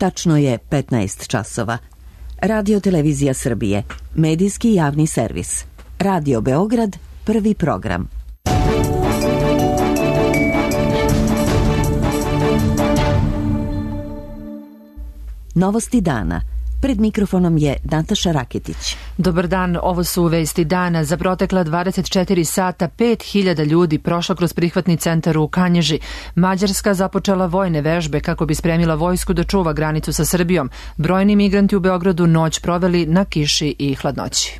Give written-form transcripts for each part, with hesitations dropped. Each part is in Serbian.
Tačno je 15 časova. Radio Televizija Srbije, medijski javni servis. Radio Beograd, prvi program. Novosti dana. Pred mikrofonom je Nataša Raketić. Dobar dan, ovo su vesti dana. Za protekla 24 sata 5000 ljudi prošlo kroz prihvatni centar u Kanjiži. Mađarska započela vojne vežbe kako bi spremila vojsku da čuva granicu sa Srbijom. Brojni migranti u Beogradu noć proveli na kiši i hladnoći.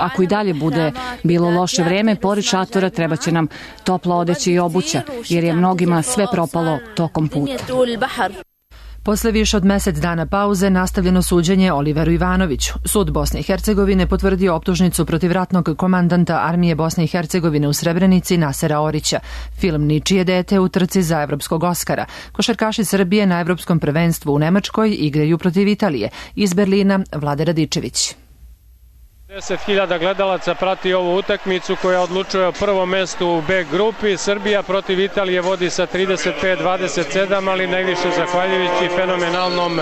Ako i dalje bude bilo loše vreme, pored šatora treba će nam topla odeća i obuća, jer je mnogima sve propalo tokom puta. Posle više od mesec dana pauze nastavljeno suđenje Oliveru Ivanoviću. Sud Bosne i Hercegovine potvrdio optužnicu protiv ratnog komandanta armije Bosne i Hercegovine u Srebrenici Nasera Orića. Film Ničije dete u trci za evropskog Oskara. Košarkaši Srbije na evropskom prvenstvu u Nemačkoj igraju protiv Italije. Iz Berlina Vlade Radičević. 10.000 gledalaca prati ovu utakmicu koja odlučuje o prvom mestu u B grupi. Srbija protiv Italije vodi sa 35-27, ali najviše zahvaljujući fenomenalnom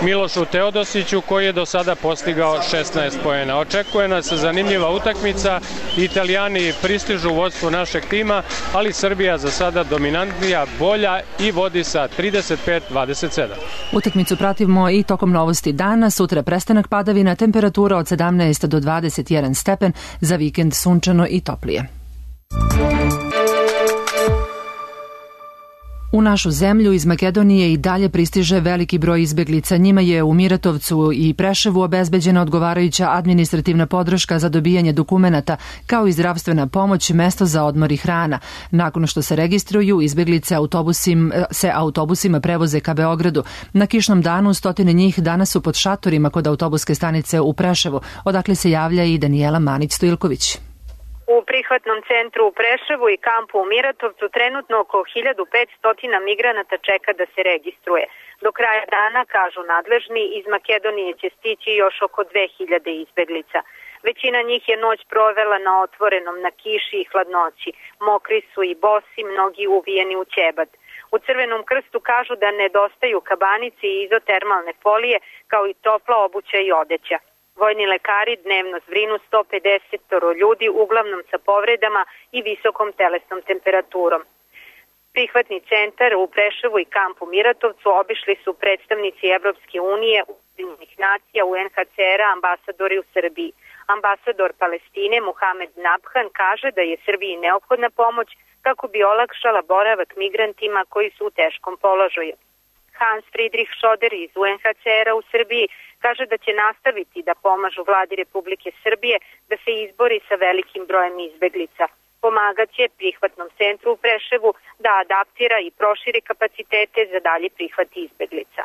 Milošu Teodosiću koji je do sada postigao 16 poena. Očekuje nas zanimljiva utakmica. Italijani pristižu u vodstvu našeg tima, ali Srbija za sada dominantnija, bolja i vodi sa 35-27. Utakmicu pratimo i tokom novosti dana. Sutra prestanak padavina, temperatura od 17 do 21 stepen, za vikend sunčano i toplije. U našu zemlju iz Makedonije i dalje pristiže veliki broj izbeglica. Njima je u Miratovcu i Preševu obezbeđena odgovarajuća administrativna podrška za dobijanje dokumenata, kao i zdravstvena pomoć, mesto za odmor i hrana. Nakon što se registruju, izbeglice autobusima prevoze ka Beogradu. Na kišnom danu stotine njih danas su pod šatorima kod autobuske stanice u Preševu, odakle se javlja i Danijela Manić-Stojilković. U prihvatnom centru u Preševu i kampu u Miratovcu trenutno oko 1500 migranata čeka da se registruje. Do kraja dana, kažu nadležni, iz Makedonije će stići još oko 2000 izbeglica. Većina njih je noć provela na otvorenom, na kiši i hladnoći. Mokri su i bosi, mnogi uvijeni u ćebad. U Crvenom krstu kažu da nedostaju kabanice i izotermalne folije, kao i topla obuća i odeća. Vojni lekari dnevno zbrinu 150 ljudi, uglavnom sa povredama i visokom telesnom temperaturom. Prihvatni centar u Preševu i kampu Miratovcu obišli su predstavnici Evropske unije, Ujedinjenih nacija, UNHCR-a, ambasadori u Srbiji. Ambasador Palestine Muhamed Nabhan kaže da je Srbiji neophodna pomoć kako bi olakšala boravak migrantima koji su u teškom položaju. Hans Friedrich Schoder iz UNHCR-a u Srbiji kaže da će nastaviti da pomažu vladi Republike Srbije da se izbori sa velikim brojem izbeglica. Pomagaće prihvatnom centru u Preševu da adaptira i proširi kapacitete za dalje prihvat izbeglica.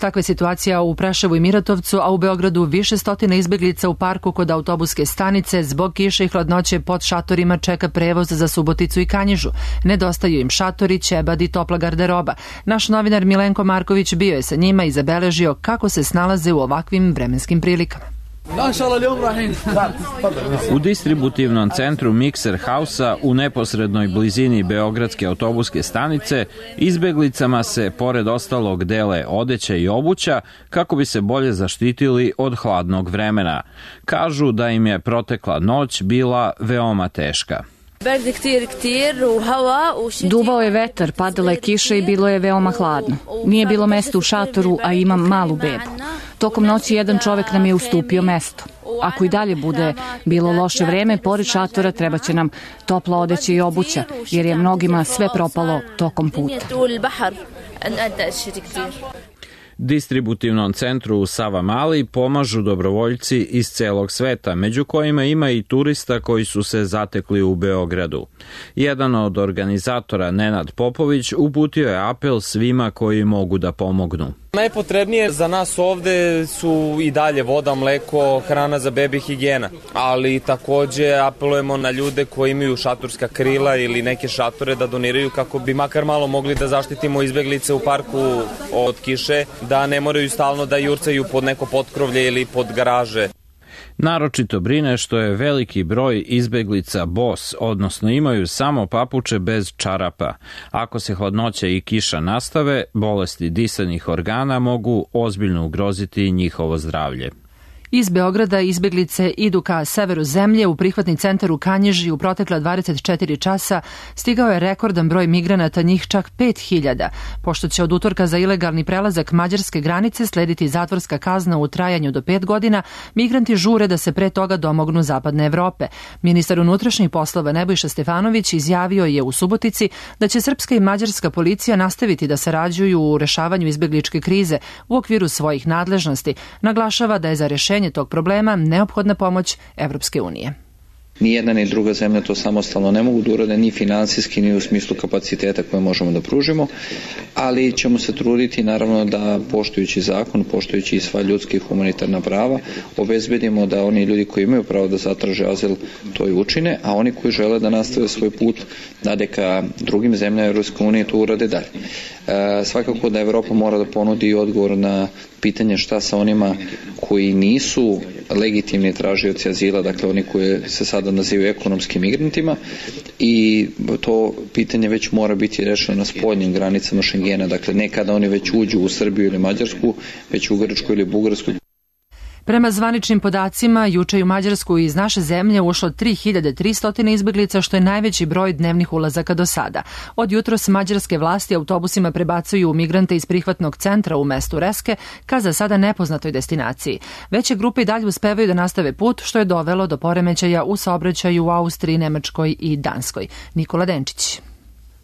Takva je situacija u Preševu i Miratovcu, a u Beogradu više stotina izbeglica u parku kod autobuske stanice zbog kiše i hladnoće pod šatorima čeka prevoz za Suboticu i Kanjižu. Nedostaju im šatori, ćebad i topla garderoba. Naš novinar Milenko Marković bio je sa njima i zabeležio kako se snalaze u ovakvim vremenskim prilikama. U distributivnom centru Mikser Hausa u neposrednoj blizini Beogradske autobuske stanice izbeglicama se pored ostalog dele odeća i obuća kako bi se bolje zaštitili od hladnog vremena. Kažu da im je protekla noć bila veoma teška. Duvao je vetar, padala je kiša i bilo je veoma hladno. Nije bilo mesta u šatoru, a imam malu bebu. Tokom noći jedan čovek nam je ustupio mesto. Ako i dalje bude bilo loše vreme, pored šatora treba će nam topla odeća i obuća, jer je mnogima sve propalo tokom puta. Distributivnom centru u Savamali pomažu dobrovoljci iz celog sveta, među kojima ima i turista koji su se zatekli u Beogradu. Jedan od organizatora, Nenad Popović, uputio je apel svima koji mogu da pomognu. Najpotrebnije za nas ovde su i dalje voda, mleko, hrana za bebe i higijena, ali takođe apelujemo na ljude koji imaju šatorska krila ili neke šatore da doniraju kako bi makar malo mogli da zaštitimo izbeglice u parku od kiše, da ne moraju stalno da jurcaju pod neko potkrovlje ili pod garaže. Naročito brine što je veliki broj izbeglica bos, odnosno imaju samo papuče bez čarapa. Ako se hladnoća i kiša nastave, bolesti disanih organa mogu ozbiljno ugroziti njihovo zdravlje. Iz Beograda izbeglice idu ka severu zemlje. U prihvatni centar u Kanjiži u protekla 24 časa stigao je rekordan broj migranata, njih čak 5000. Pošto će od utorka za ilegalni prelazak mađarske granice slediti zatvorska kazna u trajanju do 5 godina, migranti žure da se pre toga domognu zapadne Evrope. Ministar unutrašnjih poslova Nebojša Stefanović izjavio je u Subotici da će srpska i mađarska policija nastaviti da sarađuju u rešavanju izbegličke krize u okviru svojih nadležnosti. Naglašava da je za rešenje tog problema neophodna pomoć Evropske unije. Ni jedna ni druga zemlja to samostalno ne mogu da urade, ni finansijski, ni u smislu kapaciteta koje možemo da pružimo, ali ćemo se truditi naravno da poštujući zakon, poštujući i sva ljudska i humanitarna prava, obezbedimo da oni ljudi koji imaju pravo da zatraže azil to i učine, a oni koji žele da nastave svoj put dalje ka drugim zemljama Evropske unije to urade dalje. Svakako da Evropa mora da ponudi odgovor na pitanje šta sa onima koji nisu legitimni tražioci azila, dakle oni koji se sada nazivaju ekonomskim migrantima, i to pitanje već mora biti rešeno na spoljnim granicama Šengena, dakle ne kada oni već uđu u Srbiju ili Mađarsku, već u Grčku ili Bugarsku. Prema zvaničnim podacima, juče u Mađarsku iz naše zemlje ušlo 3300 izbeglica, što je najveći broj dnevnih ulazaka do sada. Od jutros mađarske vlasti autobusima prebacuju migrante iz prihvatnog centra u mestu Reske ka za sada nepoznatoj destinaciji. Veće grupe i dalje uspevaju da nastave put, što je dovelo do poremećaja u saobraćaju u Austriji, Nemačkoj i Danskoj. Nikola Denčić.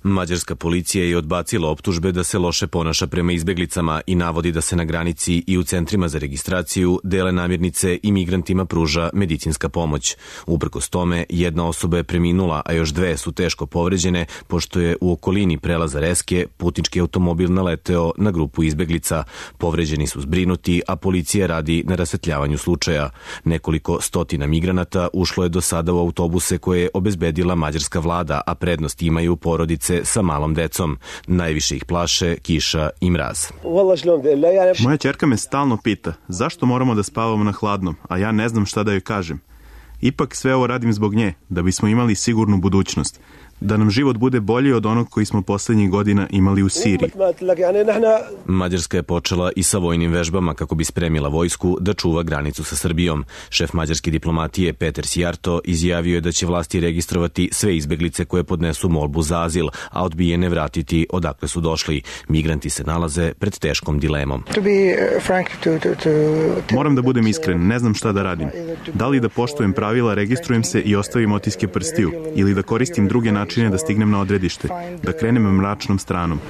Mađarska policija je odbacila optužbe da se loše ponaša prema izbeglicama i navodi da se na granici i u centrima za registraciju dele namirnice i migrantima pruža medicinska pomoć. Uprkos tome, jedna osoba je preminula, a još 2 su teško povređene, pošto je u okolini prelaza Reske putnički automobil naleteo na grupu izbeglica. Povređeni su zbrinuti, a policija radi na rasvetljavanju slučaja. Nekoliko stotina migranata ušlo je do sada u autobuse koje je obezbedila mađarska vlada, a prednost imaju porodice sa malom decom. Najviše ih plaše kiša i mraz. Moja ćerka me stalno pita zašto moramo da spavamo na hladnom, a ja ne znam šta da joj kažem. Ipak sve ovo radim zbog nje, da bismo imali sigurnu budućnost. Da nam život bude bolji od onog koji smo poslednjih godina imali u Siriji. Mađarska je počela i sa vojnim vežbama kako bi spremila vojsku da čuva granicu sa Srbijom. Šef mađarske diplomatije Peter Sijarto izjavio je da će vlasti registrovati sve izbeglice koje podnesu molbu za azil, a odbijene vratiti odakle su došli. Migranti se nalaze pred teškom dilemom. Moram da budem iskren, ne znam šta da radim. Da li da poštujem pravila, registrujem se i ostavim otiske prstiju, ili da koristim druge načine da stignem na odredište, da krenem mračnom stranom.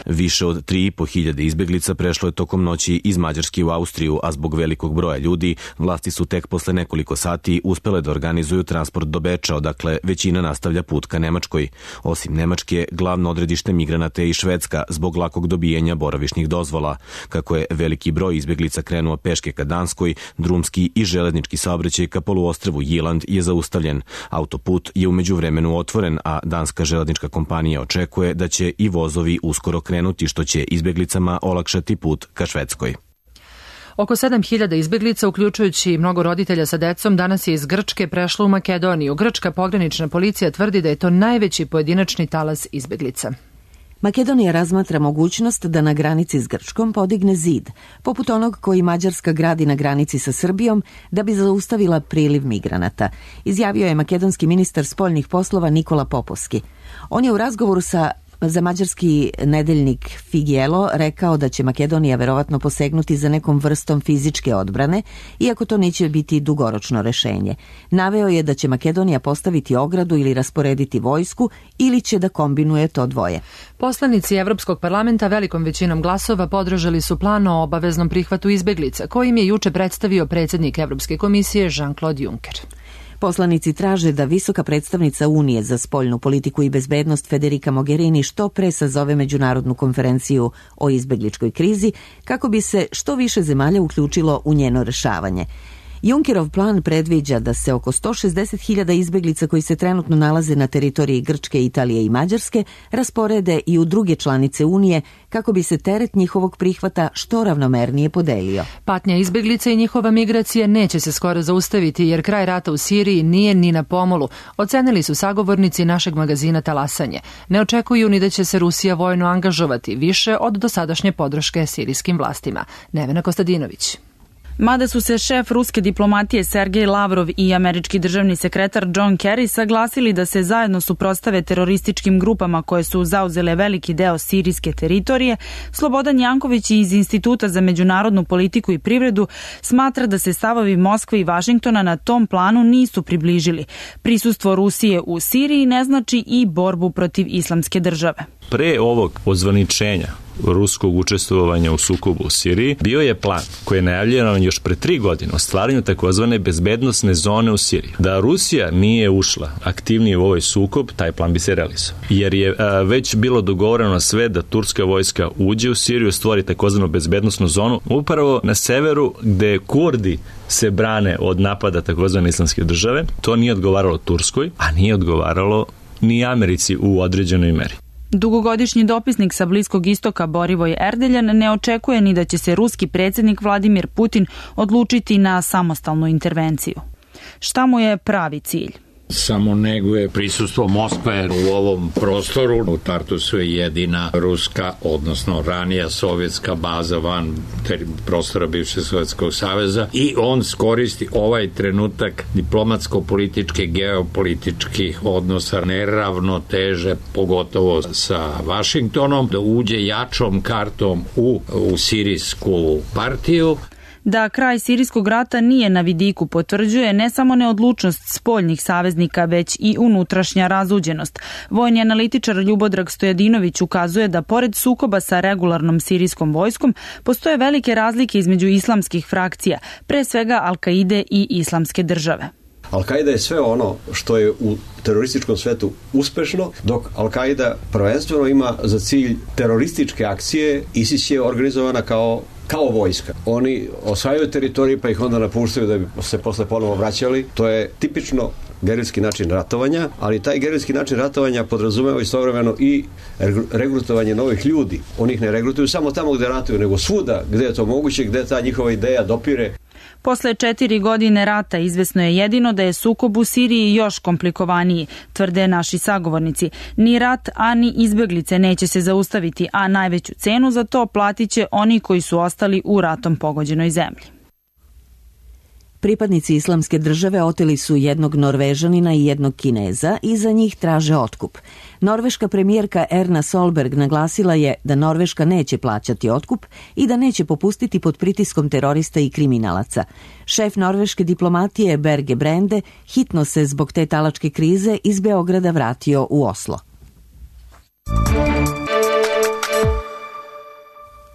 Više od 3.500 izbeglica prešlo je tokom noći iz Mađarske u Austriju, a zbog velikog broja ljudi, vlasti su tek posle nekoliko sati uspele da organizuju transport do Beča, odakle većina nastavlja put ka Nemačkoj. Osim Nemačke, glavno odredište migranata je i Švedska, zbog lakog dobijanja boravišnih dozvola. Kako je veliki broj izbeglica krenuo peške ka Danskoj, drumski i železnički saobraćaj ka poluostrvu Jiland je zaustavljen. Autoput je u međuvremenu otvoren, a danska železnička kompanija očekuje da će i vozovi uskoro krenuti, što će izbeglicama olakšati put ka Švedskoj. Oko 7000 izbeglica, uključujući mnogo roditelja sa decom, danas je iz Grčke prešlo u Makedoniju. Grčka pogranična policija tvrdi da je to najveći pojedinačni talas izbeglica. Makedonija razmatra mogućnost da na granici s Grčkom podigne zid, poput onog koji Mađarska gradi na granici sa Srbijom, da bi zaustavila priliv migranata, izjavio je makedonski ministar spoljnih poslova Nikola Popovski. On je u razgovoru za mađarski nedeljnik Figelo rekao da će Makedonija verovatno posegnuti za nekom vrstom fizičke odbrane, iako to neće biti dugoročno rešenje. Naveo je da će Makedonija postaviti ogradu ili rasporediti vojsku, ili će da kombinuje to dvoje. Poslanici Evropskog parlamenta velikom većinom glasova podržali su plan o obaveznom prihvatu izbeglica, kojim je juče predstavio predsjednik Evropske komisije Jean-Claude Juncker. Poslanici traže da visoka predstavnica Unije za spoljnu politiku i bezbednost Federica Mogherini što pre sazove međunarodnu konferenciju o izbegličkoj krizi kako bi se što više zemalja uključilo u njeno rešavanje. Junckerov plan predviđa da se oko 160.000 izbeglica koji se trenutno nalaze na teritoriji Grčke, Italije i Mađarske rasporede i u druge članice Unije kako bi se teret njihovog prihvata što ravnomernije podelio. Patnja izbeglica i njihova migracija neće se skoro zaustaviti jer kraj rata u Siriji nije ni na pomolu, ocenili su sagovornici našeg magazina Talasanje. Ne očekuju ni da će se Rusija vojno angažovati više od dosadašnje podrške sirijskim vlastima. Nevena Kostadinović. Mada su se šef ruske diplomatije Sergej Lavrov i američki državni sekretar John Kerry saglasili da se zajedno suprotstave terorističkim grupama koje su zauzele veliki deo sirijske teritorije, Slobodan Janković iz Instituta za međunarodnu politiku i privredu smatra da se stavovi Moskve i Vašingtona na tom planu nisu približili. Prisustvo Rusije u Siriji ne znači i borbu protiv islamske države. Pre ovog ozvaničenja ruskog učestvovanja u sukobu u Siriji bio je plan koji je najavljen još pre 3 godine o stvaranju takozvane bezbednosne zone u Siriji. Da Rusija nije ušla aktivnije u ovaj sukob, taj plan bi se realizovao. Jer je već bilo dogovoreno sve da turska vojska uđe u Siriju, stvori takozvanu bezbednosnu zonu upravo na severu gde Kurdi se brane od napada takozvane islamske države. To nije odgovaralo Turskoj, a nije odgovaralo ni Americi u određenoj meri. Dugogodišnji dopisnik sa Bliskog istoka Borivoj Erdeljan ne očekuje ni da će se ruski predsjednik Vladimir Putin odlučiti na samostalnu intervenciju. Šta mu je pravi cilj? Samo neguje prisustvo Moskve u ovom prostoru. U Tartusu je jedina ruska, odnosno ranija sovjetska baza van prostora bivšeg Sovjetskog saveza i on skoristi ovaj trenutak diplomatsko-političke, geopolitičkih odnosa, neravnoteže, pogotovo sa Vašingtonom, da uđe jačom kartom u sirijsku partiju. Da kraj sirijskog rata nije na vidiku potvrđuje ne samo neodlučnost spoljnih saveznika, već i unutrašnja razuđenost. Vojni analitičar Ljubodrag Stojadinović ukazuje da pored sukoba sa regularnom sirijskom vojskom postoje velike razlike između islamskih frakcija, pre svega Al-Kaide i Islamske države. Al-Kaida je sve ono što je u terorističkom svetu uspešno, dok Al-Kaida prvenstveno ima za cilj terorističke akcije. ISIS je organizovana kao vojska. Oni osvajaju teritorije pa ih onda napuštaju da bi se posle ponovo vraćali. To je tipično gerilski način ratovanja, ali taj gerilski način ratovanja podrazumeva istovremeno i regrutovanje novih ljudi. Oni ih ne regrutuju samo tamo gde ratuju, nego svuda gde je to moguće, gde ta njihova ideja dopire. Posle 4 godine rata izvesno je jedino da je sukob u Siriji još komplikovaniji, tvrde naši sagovornici. Ni rat, a ni izbeglice neće se zaustaviti, a najveću cenu za to platit će oni koji su ostali u ratom pogođenoj zemlji. Pripadnici Islamske države oteli su jednog Norvežanina i jednog Kineza i za njih traže otkup. Norveška premijerka Erna Solberg naglasila je da Norveška neće plaćati otkup i da neće popustiti pod pritiskom terorista i kriminalaca. Šef norveške diplomatije Berge Brende hitno se zbog te talačke krize iz Beograda vratio u Oslo.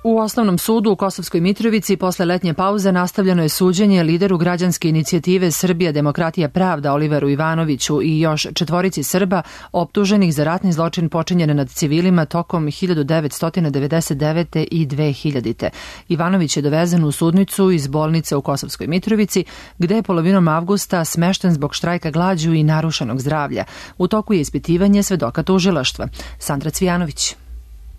U Osnovnom sudu u Kosovskoj Mitrovici posle letnje pauze nastavljeno je suđenje lideru građanske inicijative Srbija, demokratija, pravda Oliveru Ivanoviću i još 4 Srba optuženih za ratni zločin počinjen nad civilima tokom 1999. i 2000. Ivanović je dovezen u sudnicu iz bolnice u Kosovskoj Mitrovici, gde je polovinom avgusta smešten zbog štrajka glađu i narušenog zdravlja. U toku je ispitivanje svedoka tužilaštva. Sandra Cvijanović.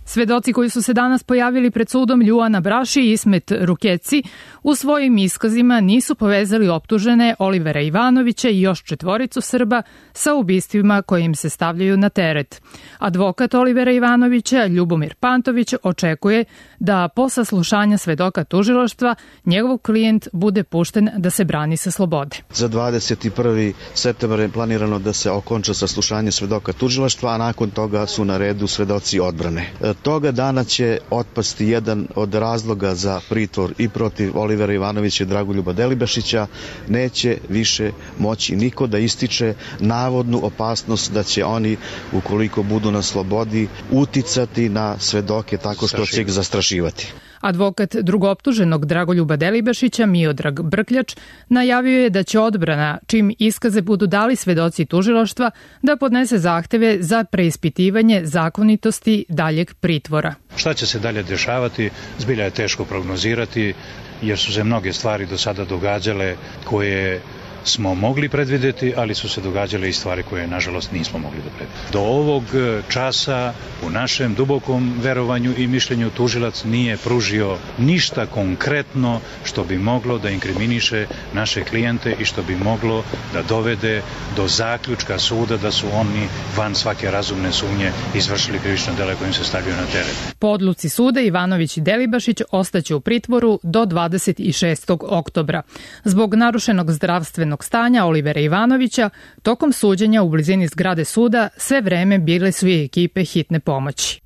Svedoci koji su se danas pojavili pred sudom Ljuana Braši i Ismet Rukeci u svojim iskazima nisu povezali optužene Olivera Ivanovića i još 4 Srba sa ubistvima koje im se stavljaju na teret. Advokat Olivera Ivanovića, Ljubomir Pantović, očekuje da po saslušanja svedoka tužilaštva njegov klijent bude pušten da se brani sa slobode. Za 21. septembar je planirano da se okonča saslušanje svedoka tužilaštva, a nakon toga su na redu svedoci odbrane. Toga dana će otpasti jedan od razloga za pritvor i protiv Olivera Ivanovića i Dragoljuba Delibašića. Neće više moći niko da ističe navodnu opasnost da će oni, ukoliko budu na slobodi, uticati na svedoke tako što će ih zastrašivati. Advokat drugooptuženog Dragoljuba Delibašića, Miodrag Brkljač, najavio je da će odbrana, čim iskaze budu dali svedoci tužilaštva, da podnese zahteve za preispitivanje zakonitosti daljeg pritvora. Šta će se dalje dešavati, zbilja je teško prognozirati. jer su se mnoge stvari do sada događale koje smo mogli predvidjeti, ali su se događale i stvari koje nažalost nismo mogli da predvidimo. Do ovog časa u našem dubokom verovanju i mišljenju tužilac nije pružio ništa konkretno što bi moglo da inkriminiše naše klijente i što bi moglo da dovede do zaključka suda da su oni van svake razumne sumnje izvršili krivično delo kojim se stavljaju na teret. Po odluci suda Ivanović i Delibašić ostaće u pritvoru do 26. oktobra. Zbog narušenog zdravstvenog stanja Olivera Ivanovića, tokom suđenja u blizini zgrade suda sve vreme bile su i ekipe hitne pomoći.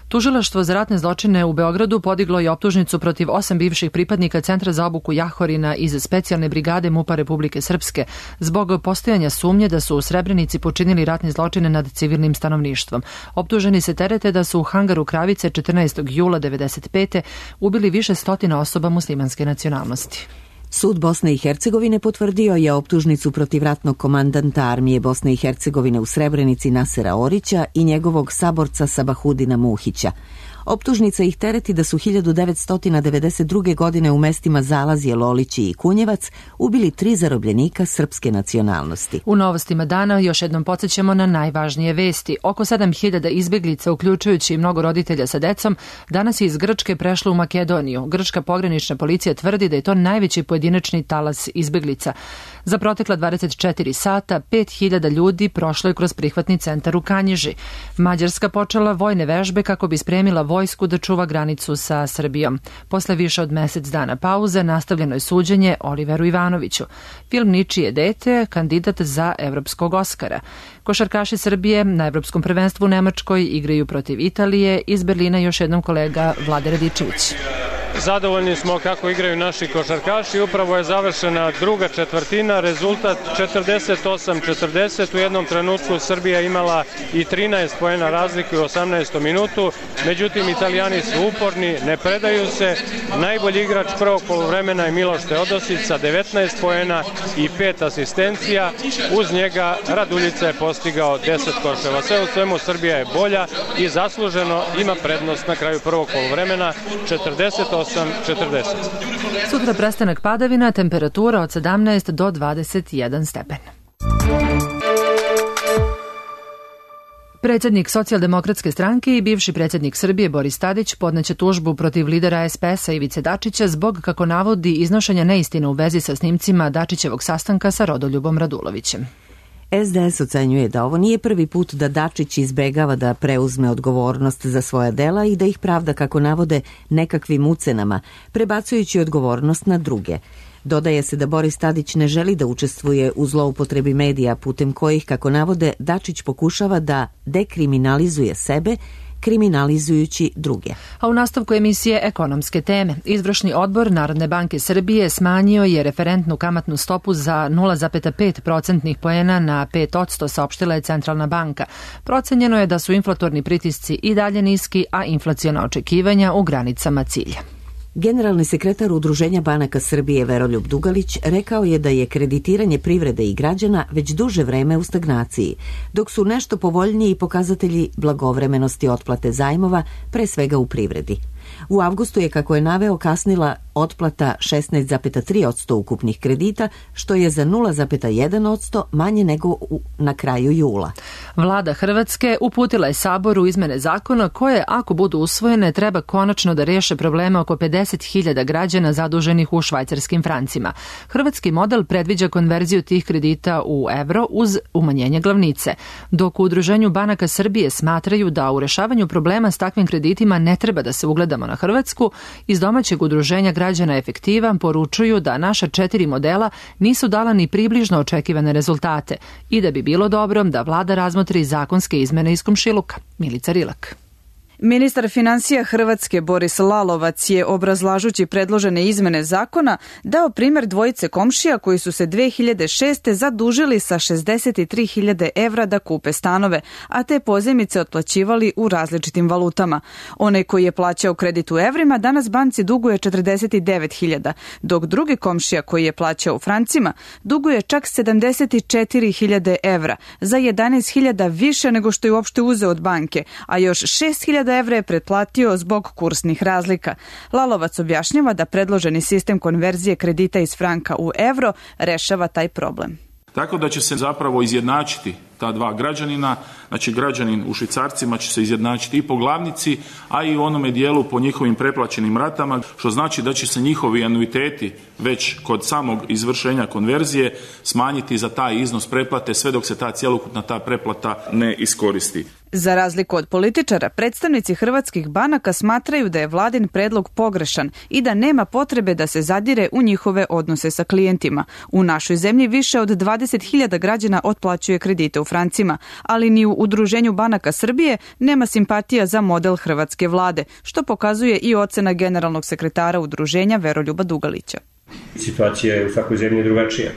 Tužilaštvo za ratne zločine u Beogradu podiglo je optužnicu protiv 8 bivših pripadnika Centra za obuku Jahorina iz specijalne brigade MUP-a Republike Srpske zbog postojanja sumnje da su u Srebrenici počinili ratne zločine nad civilnim stanovništvom. Optuženi se terete da su u hangaru Kravice 14. jula 1995. ubili više stotina osoba muslimanske nacionalnosti. Sud Bosne i Hercegovine potvrdio je optužnicu protiv ratnog komandanta armije Bosne i Hercegovine u Srebrenici Nasera Orića i njegovog saborca Sabahudina Muhića. Optužnica ih tereti da su 1992. godine u mestima Zalazje, Lolići i Kunjevac ubili 3 zarobljenika srpske nacionalnosti. U novostima dana još jednom podsjećamo na najvažnije vesti. Oko 7000 izbeglica, uključujući mnogo roditelja sa decom, danas je iz Grčke prešlo u Makedoniju. Grčka pogranična policija tvrdi da je to najveći pojedinačni talas izbeglica. Za protekla 24 sata 5000 ljudi prošlo je kroz prihvatni centar u Kanjiži. Mađarska počela vojne vežbe kako bi spremila vojsku da čuva granicu sa Srbijom. Posle više od mesec dana pauze nastavljeno je suđenje Oliveru Ivanoviću. Film Ničije dete, kandidat za evropskog Oskara. Košarkaši Srbije na Evropskom prvenstvu u Nemačkoj igraju protiv Italije. Iz Berlina još jednom kolega Vlade Radičević. Zadovoljni smo kako igraju naši košarkaši. Upravo je završena druga četvrtina, rezultat 48-40. U jednom trenutku Srbija imala i 13 poena razlike u 18. minutu. Međutim, Italijani su uporni, ne predaju se. Najbolji igrač prvog poluvremena je Miloš Teodosić sa 19 poena i 5 asistencija. Uz njega Raduljica je postigao 10 koševa. Sve u svemu Srbija je bolja i zasluženo ima prednost na kraju prvog poluvremena 48-40. Sutra prestanak padavina, temperatura od 17 do 21 stepen. Predsjednik Socijaldemokratske stranke i bivši predsjednik Srbije Boris Tadić podneće tužbu protiv lidera SPS-a Ivice Dačića zbog, kako navodi, iznošenja neistina u vezi sa snimcima Dačićevog sastanka sa Rodoljubom Radulovićem. SDS ocenjuje da ovo nije prvi put da Dačić izbegava da preuzme odgovornost za svoja dela i da ih pravda, kako navode, nekakvim ucenama, prebacujući odgovornost na druge. Dodaje se da Boris Tadić ne želi da učestvuje u zloupotrebi medija putem kojih, kako navode, Dačić pokušava da dekriminalizuje sebe, kriminalizujući druge. A u nastavku emisije Ekonomske teme, Izvršni odbor Narodne banke Srbije smanjio je referentnu kamatnu stopu za 0,5 procentnih poena na 5%, saopštila je Centralna banka. Procenjeno je da su inflatorni pritisci i dalje niski, a inflaciona očekivanja u granicama cilja. Generalni sekretar Udruženja banaka Srbije Veroljub Dugalić rekao je da je kreditiranje privrede i građana već duže vreme u stagnaciji, dok su nešto povoljniji pokazatelji blagovremenosti otplate zajmova, pre svega u privredi. U avgustu je, kako je naveo, kasnila otplata 16,3% ukupnih kredita, što je za 0,1% manje nego na kraju jula. Vlada Hrvatske uputila je Saboru izmene zakona koje, ako budu usvojene, treba konačno da riješe probleme oko 50.000 građana zaduženih u švajcarskim francima. Hrvatski model predviđa konverziju tih kredita u evro uz umanjenje glavnice, dok u Udruženju banaka Srbije smatraju da u rešavanju problema s takvim kreditima ne treba da se ugledamo na Hrvatsku. Iz domaćeg udruženja građana Efektiva poručuju da naša 4 modela nisu dala ni približno očekivane rezultate i da bi bilo dobro da vlada razmotri zakonske izmene iz komšiluka. Milica Rilak. Ministar finansija Hrvatske Boris Lalovac je, obrazlažući predložene izmene zakona, dao primjer dvojice komšija koji su se 2006. zadužili sa 63.000 evra da kupe stanove, a te pozajmice otplaćivali u različitim valutama. Onaj koji je plaćao kredit u evrima danas banci duguje 49.000, dok drugi komšija koji je plaćao u francima duguje čak 74.000 evra, za 11.000 više nego što je uopšte uzeo od banke, a još 6.000 evra je pretplatio zbog kursnih razlika. Lalovac objašnjava da predloženi sistem konverzije kredita iz franka u evro rešava taj problem. Tako da će se zapravo izjednačiti ta dva građanina, znači građanin u švicarcima će se izjednačiti i po glavnici, a i u onome dijelu po njihovim preplaćenim ratama, što znači da će se njihovi anuiteti već kod samog izvršenja konverzije smanjiti za taj iznos pretplate sve dok se ta cjelokupna ta pretplata ne iskoristi. Za razliku od političara, predstavnici hrvatskih banaka smatraju da je vladin predlog pogrešan i da nema potrebe da se zadire u njihove odnose sa klijentima. U našoj zemlji više od 20.000 građana otplaćuje kredite u francima, ali ni u Udruženju banaka Srbije nema simpatija za model hrvatske vlade, što pokazuje i ocena generalnog sekretara udruženja Veroljuba Dugalića. Situacija je u svakoj zemlji drugačija.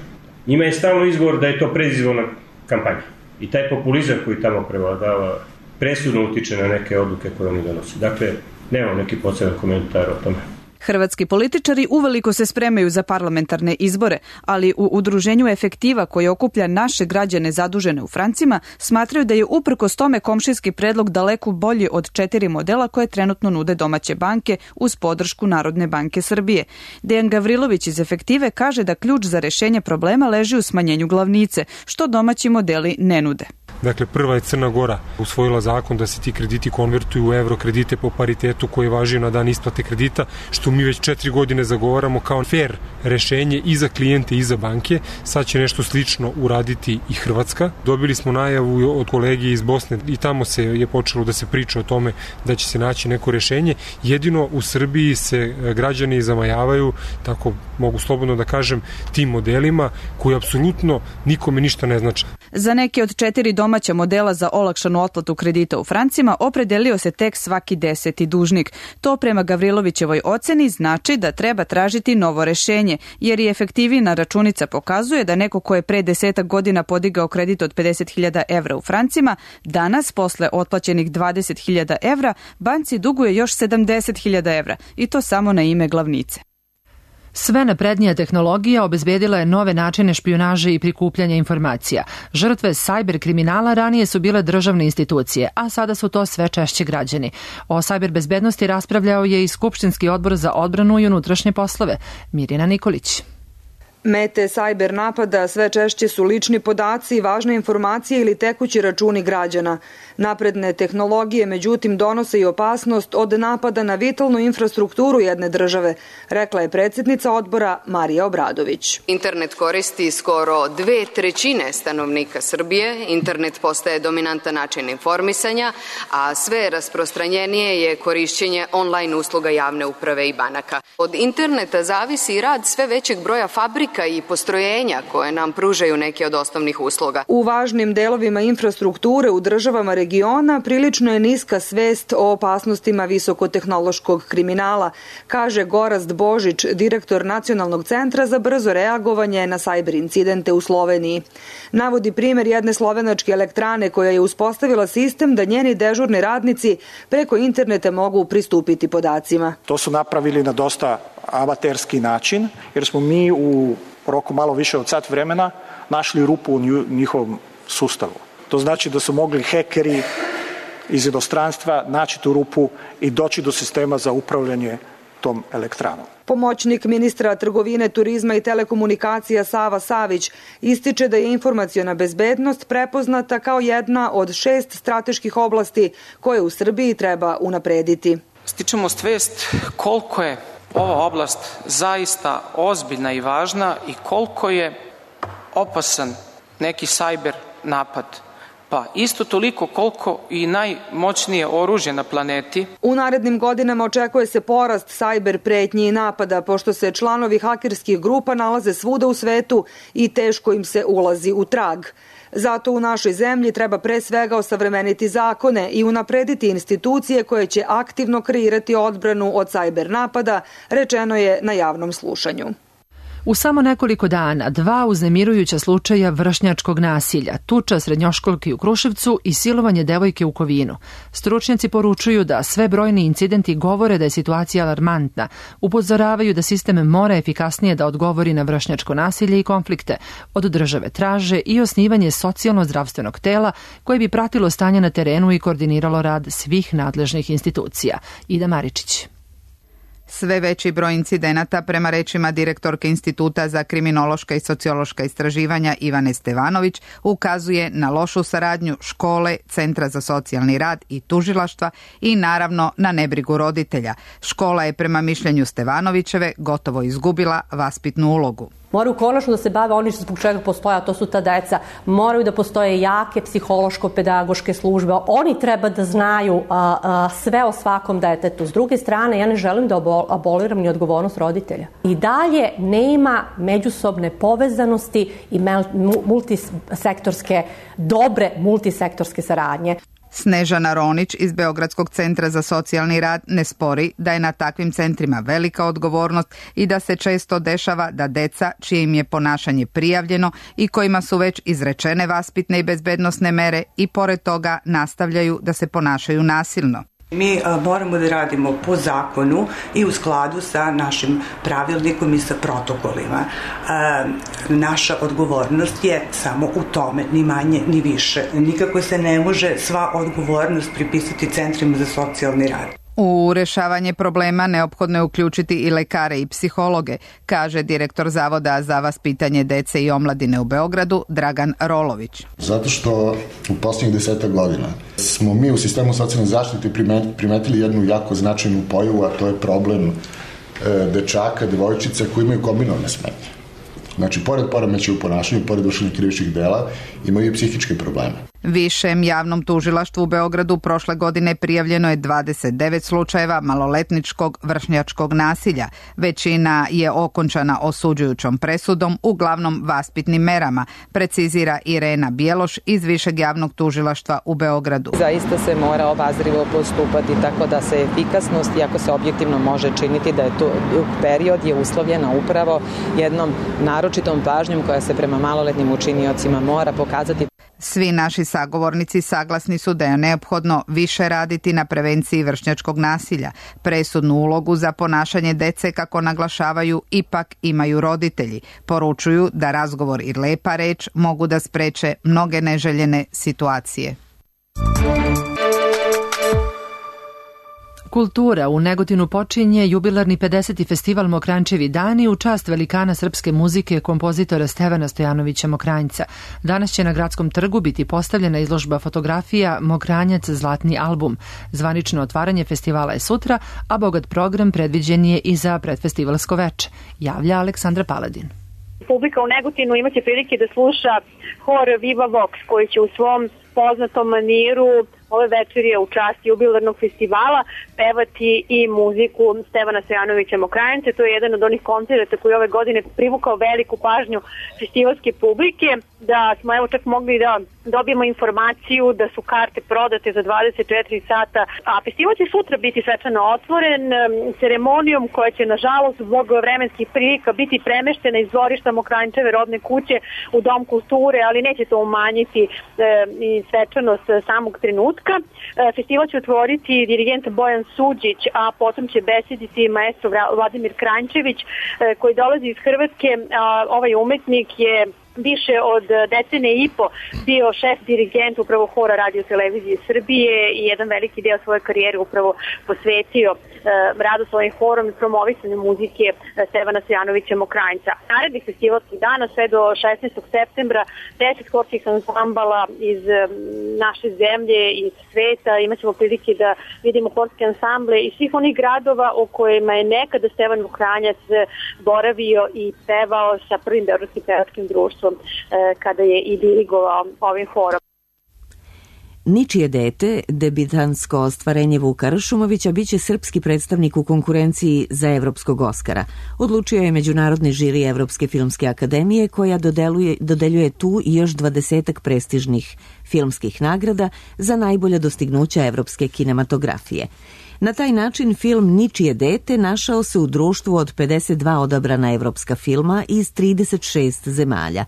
Njima je stalno izgovor da je to predizborna kampanja. I taj populizam koji tamo prevladava presudno utiče na neke odluke koje oni donose. Dakle, nemam neki poseban komentar o tome. Hrvatski političari uveliko se spremaju za parlamentarne izbore, ali u udruženju Efektiva koje okuplja naše građane zadužene u francima smatraju da je uprkos tome komšijski predlog daleko bolji od 4 modela koje trenutno nude domaće banke uz podršku Narodne banke Srbije. Dejan Gavrilović iz Efektive kaže da ključ za rešenje problema leži u smanjenju glavnice, što domaći modeli ne nude. Dakle, prva je Crna Gora usvojila zakon da se ti krediti konvertuju u evro kredite po paritetu koji važi na dan isplate kredita, što mi već 4 godine zagovaramo kao fair rešenje i za klijente i za banke. Sad će nešto slično uraditi i Hrvatska. Dobili smo najavu od kolege iz Bosne i tamo se je počelo da se priča o tome da će se naći neko rešenje. Jedino u Srbiji se građani zamajavaju, tako mogu slobodno da kažem, tim modelima koji apsolutno nikome ništa ne znače. Za neke od 4 domaća modela za olakšanu otplatu kredita u francima opredelio se tek svaki 10. dužnik. To prema Gavrilovićevoj oceni znači da treba tražiti novo rešenje, jer i efektivna računica pokazuje da neko ko je pre 10 godina podigao kredit od 50.000 evra u francima, danas posle otplaćenih 20.000 evra banci duguje još 70.000 evra i to samo na ime glavnice. Sve naprednija tehnologija obezbedila je nove načine špijunaže i prikupljanja informacija. Žrtve sajber kriminala ranije su bile državne institucije, a sada su to sve češće građani. O sajber bezbednosti raspravljao je i Skupštinski odbor za odbranu i unutrašnje poslove. Mirjana Nikolić. Mete sajber napada sve češće su lični podaci, važne informacije ili tekući računi građana. Napredne tehnologije, međutim, donose i opasnost od napada na vitalnu infrastrukturu jedne države, rekla je predsjednica odbora Marija Obradović. Internet koristi skoro 2/3 stanovnika Srbije, internet postaje dominantan način informisanja, a sve rasprostranjenije je korišćenje online usluga javne uprave i banaka. Od interneta zavisi i rad sve većeg broja fabrika i postrojenja koje nam pružaju neke od osnovnih usluga. U važnim delovima infrastrukture u državama regiona prilično je niska svest o opasnostima visokotehnološkog kriminala, kaže Gorazd Božić, direktor Nacionalnog centra za brzo reagovanje na sajber incidente u Sloveniji. Navodi primjer jedne slovenačke elektrane koja je uspostavila sistem da njeni dežurni radnici preko interneta mogu pristupiti podacima. To su napravili na dosta amaterski način, jer smo mi u roku malo više od sat vremena našli rupu u njihovom sustavu. To znači da su mogli hekeri iz inostranstva naći tu rupu i doći do sistema za upravljanje tom elektranom. Pomoćnik ministra trgovine, turizma i telekomunikacija Sava Savić ističe da je informaciona bezbednost prepoznata kao jedna od 6 strateških oblasti koje u Srbiji treba unaprediti. Stičemo svest koliko je ova oblast zaista ozbiljna i važna i koliko je opasan neki sajber napad. Pa isto toliko koliko i najmoćnije oružje na planeti. U narednim godinama očekuje se porast sajber pretnji i napada, pošto se članovi hakerskih grupa nalaze svuda u svetu i teško im se ulazi u trag. Zato u našoj zemlji treba pre svega osavremeniti zakone i unaprediti institucije koje će aktivno kreirati odbranu od sajber napada, rečeno je na javnom slušanju. U samo nekoliko dana 2 uznemirujuća slučaja vršnjačkog nasilja, tuča srednjoškolki u Kruševcu i silovanje devojke u Kovinu. Stručnjaci poručuju da sve brojni incidenti govore da je situacija alarmantna. Upozoravaju da sistem mora efikasnije da odgovori na vršnjačko nasilje i konflikte. Od države traže i osnivanje socijalno-zdravstvenog tela koje bi pratilo stanje na terenu i koordiniralo rad svih nadležnih institucija. Ida Maričić. Sve veći broj incidenata, prema rečima direktorke Instituta za kriminološka i sociološka istraživanja Ivane Stevanović, ukazuje na lošu saradnju škole, Centra za socijalni rad i tužilaštva i naravno na nebrigu roditelja. Škola je prema mišljenju Stevanovićeve gotovo izgubila vaspitnu ulogu. Moraju konačno da se bave oni zbog čega postoje, a to su ta deca. Moraju da postoje jake psihološko-pedagoške službe. Oni treba da znaju sve o svakom detetu. S druge strane, ja ne želim da aboliram ni odgovornost roditelja. I dalje nema međusobne povezanosti i dobre multisektorske saradnje. Snežana Ronić iz Beogradskog centra za socijalni rad ne spori da je na takvim centrima velika odgovornost i da se često dešava da deca čije im je ponašanje prijavljeno i kojima su već izrečene vaspitne i bezbednosne mere i pored toga nastavljaju da se ponašaju nasilno. Mi moramo da radimo po zakonu i u skladu sa našim pravilnikom i sa protokolima. Naša odgovornost je samo u tome, ni manje ni više. Nikako se ne može sva odgovornost pripisati centrima za socijalni rad. U rešavanje problema neophodno je uključiti i lekare i psihologe, kaže direktor Zavoda za vaspitanje dece i omladine u Beogradu, Dragan Rolović. Zato što u posljednjih 10 godina smo mi u sistemu socijalne zaštite primetili jednu jako značajnu pojavu, a to je problem dečaka, devojčica koji imaju kombinovane smetnje. Znači, pored poremećaja u ponašanju, pored vršenja krivičnih dela, imaju i psihičke probleme. Višem javnom tužilaštvu u Beogradu prošle godine prijavljeno je 29 slučajeva maloletničkog vršnjačkog nasilja. Većina je okončana osuđujućom presudom, uglavnom vaspitnim merama, precizira Irena Bjeloš iz Višeg javnog tužilaštva u Beogradu. Zaista se mora obazrivo postupati tako da se efikasnost, iako se objektivno može činiti da je to period je uslovljena upravo jednom naročitom pažnjom koja se prema maloletnim učiniocima mora pokazati. Svi naši sagovornici saglasni su da je neophodno više raditi na prevenciji vršnjačkog nasilja. Presudnu ulogu za ponašanje dece, kako naglašavaju, ipak imaju roditelji. Poručuju da razgovor i lepa reč mogu da spreče mnoge neželjene situacije. Kultura u Negotinu počinje jubilarni 50. festival Mokranjčevi dani u čast velikana srpske muzike kompozitora Stevana Stojanovića Mokranjca. Danas će na Gradskom trgu biti postavljena izložba fotografija Mokranjac zlatni album. Zvanično otvaranje festivala je sutra, a bogat program predviđen je i za predfestivalsko veče, javlja Aleksandra Paladin. Publika u Negotinu imaće prilike da sluša hor Viva Vox, koji će u svom poznatom maniru ove večerje u čast jubilarnog festivala pevati i muziku Stevana Stojanovića Mokranjca. To je jedan od onih koncerata koji ove godine privukao veliku pažnju festivalske publike, da smo evo čak mogli da dobijemo informaciju da su karte prodate za 24 sata, a festival će sutra biti svečano otvoren ceremonijom koja će nažalost zbog vremenskih prilika biti premeštena iz dvorišta Mokranjčeve rodne kuće u Dom kulture, ali neće to umanjiti i svečanost samog trenutka. Festival će otvoriti dirigent Bojan Suđić, a potom će besediti maestro Vladimir Kranjčević koji dolazi iz Hrvatske. Ovaj umetnik je više od decenije i po bio šef dirigent upravo hora Radio televizije Srbije i jedan veliki deo svoje karijere upravo posvetio radu svojim horom i promovisanju muzike Stevana Stojanovića Mokranjca. Narednih festivalskih dana sve do 16. septembra 10 horskih ansambala iz naše zemlje i iz sveta. Imaćemo prilike da vidimo horske ansamble iz svih onih gradova u kojima je nekada Stevan Mokranjac boravio i pevao sa prvim beogradskim pevačkim društvom kada je i dirigovao ovim horom. Ničije dete, debitansko ostvarenje Vuka Ršumovića, biće srpski predstavnik u konkurenciji za Evropskog Oskara. Odlučio je Međunarodni žiri Evropske filmske akademije koja dodeljuje tu i još 20 prestižnih filmskih nagrada za najbolja dostignuća evropske kinematografije. Na taj način film Ničije dete našao se u društvu od 52 odabrana evropska filma iz 36 zemalja.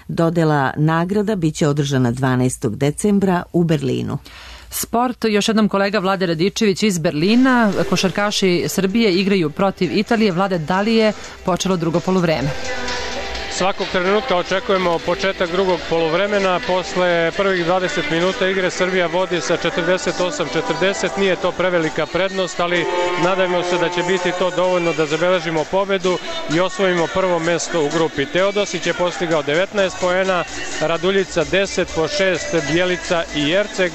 Dodela nagrada biće održana 12. decembra u Berlinu. Sport, još jednom kolega Vlade Radičević iz Berlina. Košarkaši Srbije igraju protiv Italije. Vlade, da li je počelo drugo poluvreme? Svakog trenutka očekujemo početak drugog poluvremena. Posle prvih 20 minuta igre Srbija vodi sa 48-40. Nije to prevelika prednost, ali nadajmo se da će biti to dovoljno da zabeležimo pobedu i osvojimo prvo mesto u grupi. Teodosić je postigao 19 poena, Raduljica 10 po 6, Bjelica i Jerceg,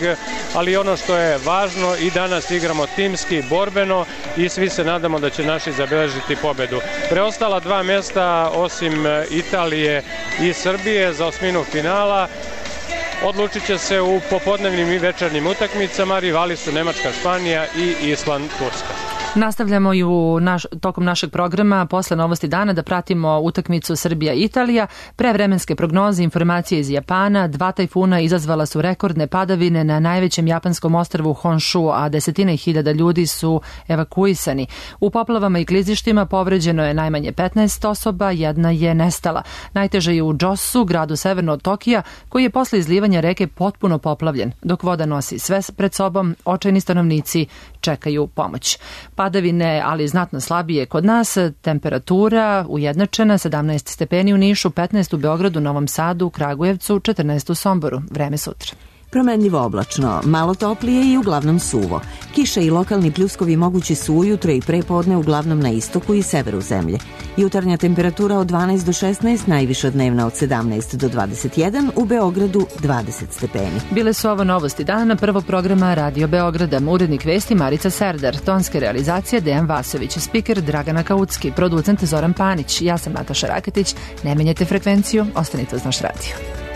ali ono što je važno, i danas igramo timski, borbeno i svi se nadamo da će naši zabeležiti pobedu. Preostala dva mesta, osim Italije i Srbije za osminu finala, odlučit će se u popodnevnim i večernjim utakmicama. Rivali su Nemačka, Španija i Island, Turska. Nastavljamo i tokom našeg programa posle novosti dana da pratimo utakmicu Srbija-Italija. Pre vremenske prognoze, informacije iz Japana, 2 tajfuna izazvala su rekordne padavine na najvećem japanskom ostrvu Honshu, a desetine hiljada ljudi su evakuisani. U poplavama i klizištima povređeno je najmanje 15 osoba, jedna je nestala. Najteže je u Džosu, gradu severno od Tokija, koji je posle izlivanja reke potpuno poplavljen. Dok voda nosi sve pred sobom, očajni stanovnici čekaju pomoć. Padavine, ali znatno slabije kod nas, temperatura ujednačena, 17 stepeni u Nišu, 15 u Beogradu, Novom Sadu, Kragujevcu, 14 u Somboru. Vreme sutra. Promenljivo oblačno, malo toplije i uglavnom suvo. Kiše i lokalni pljuskovi mogući su ujutro i prepodne uglavnom na istoku i severu zemlje. Jutarnja temperatura od 12 do 16, najviša dnevna od 17 do 21, u Beogradu 20 stepeni. Bile su ovo novosti dana prvog programa Radio Beograda. Urednik vesti Marica Serdar, tonske realizacije Dejan Vasović, spiker Dragana Kaucki, producent Zoran Panić. Ja sam Nataša Raketić. Ne menjajte frekvenciju, ostanite uz naš radio.